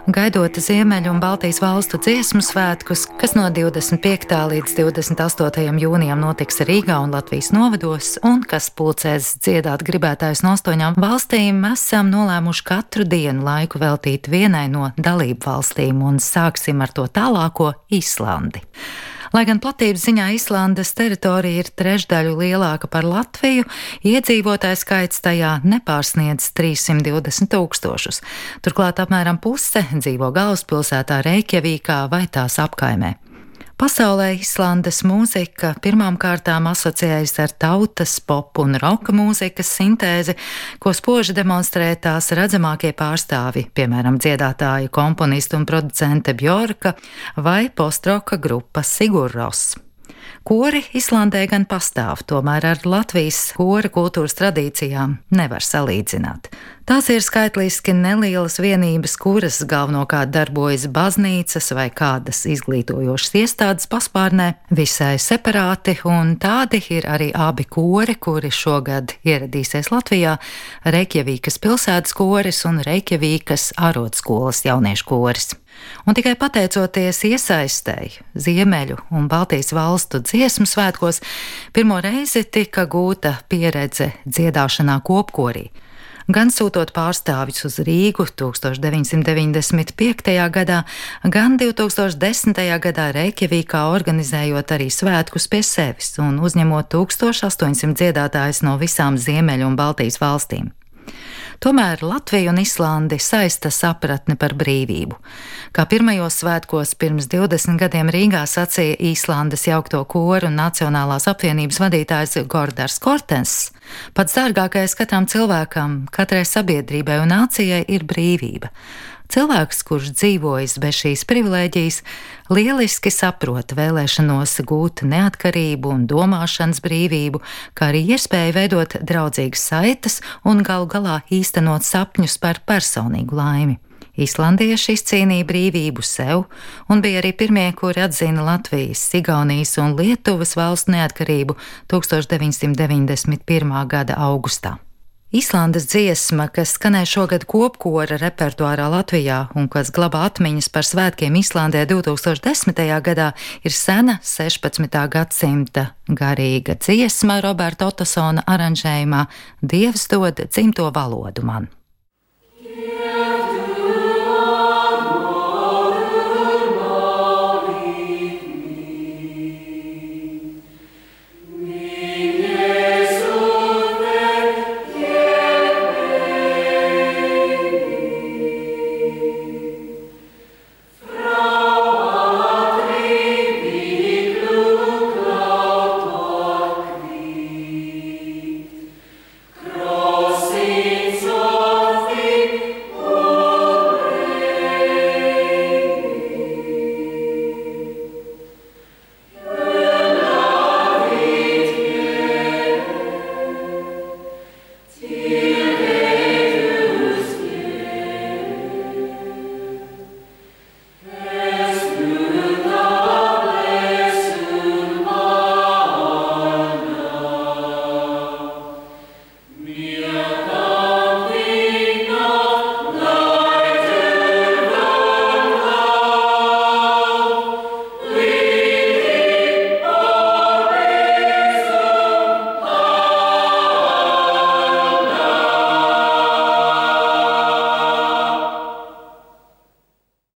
Gaidot Ziemeļu un Baltijas valstu dziesmu svētkus, kas no 25. līdz 28. jūnijam notiks Rīgā un Latvijas novados, un kas pulcēs dziedāt gribētājus no 8 valstīm, esam nolēmuši katru dienu laiku veltīt vienai no dalību valstīm, un sāksim ar to tālāko Islandi. Lai gan platības ziņā Islandes teritorija ir trešdaļu lielāka par Latviju, iedzīvotāju skaits tajā nepārsniedz 320 000. Turklāt apmēram puse dzīvo galvaspilsētā Reikjavīkā vai tās apkaimē. Pasaulē Islandes mūzika pirmām kārtām asociējas ar tautas, popu un roka mūzikas sintēzi, ko spoži demonstrē tās redzamākie pārstāvji, piemēram, dziedātāja, komponista un producente Bjorka vai postroka grupa Sigur Rós. Kori Islandē gan pastāv, tomēr ar Latvijas kora kultūras tradīcijām nevar salīdzināt. Tās ir skaitliski nelielas vienības, kuras galvenokārt darbojas baznīcas vai kādas izglītojošas iestādes paspārnē, visai separāti, un tādi ir arī abi kori, kuri šogad ieradīsies Latvijā - Reikjavīkas pilsētas koris un Reikjavīkas arodskolas jauniešu koris. Un tikai pateicoties iesaistei Ziemeļu un Baltijas valstu dziesmu svētkos, pirmo reizi tika gūta pieredze dziedāšanā kopkorī. Gan sūtot pārstāvjus uz Rīgu 1995. gadā, gan 2010. gadā Reikjavīkā organizējot arī svētkus pie sevis un uzņemot 1800 dziedātājus no visām Ziemeļu un Baltijas valstīm. Tomēr Latviju un Islandi saista sapratne par brīvību. Kā pirmajos svētkos pirms 20 gadiem Rīgā sacīja Īslandes jaukto koru un Nacionālās apvienības vadītājs Gordars Kortens, pats dārgākais katram cilvēkam, katrai sabiedrībai un nācijai ir brīvība. Cilvēks, kurš dzīvojis bez šīs privilēģijas, lieliski saprot vēlēšanos gūt neatkarību un domāšanas brīvību, kā arī iespēju veidot draudzīgas saites un galu galā īstenot sapņus par personīgu laimi. Islandieši izcīnīja brīvību sev un bija arī pirmie, kuri atzina Latvijas, Igaunijas un Lietuvas valstu neatkarību 1991. gada augustā. Islandes dziesma, kas skanēja šogad kopkora repertuārā Latvijā un kas glabā atmiņas par svētkiem Islandē 2010. gadā, ir sena 16. gadsimta garīga dziesma Roberta Ottosona aranžējumā Dievs dod dzimto valodu man. Yeah.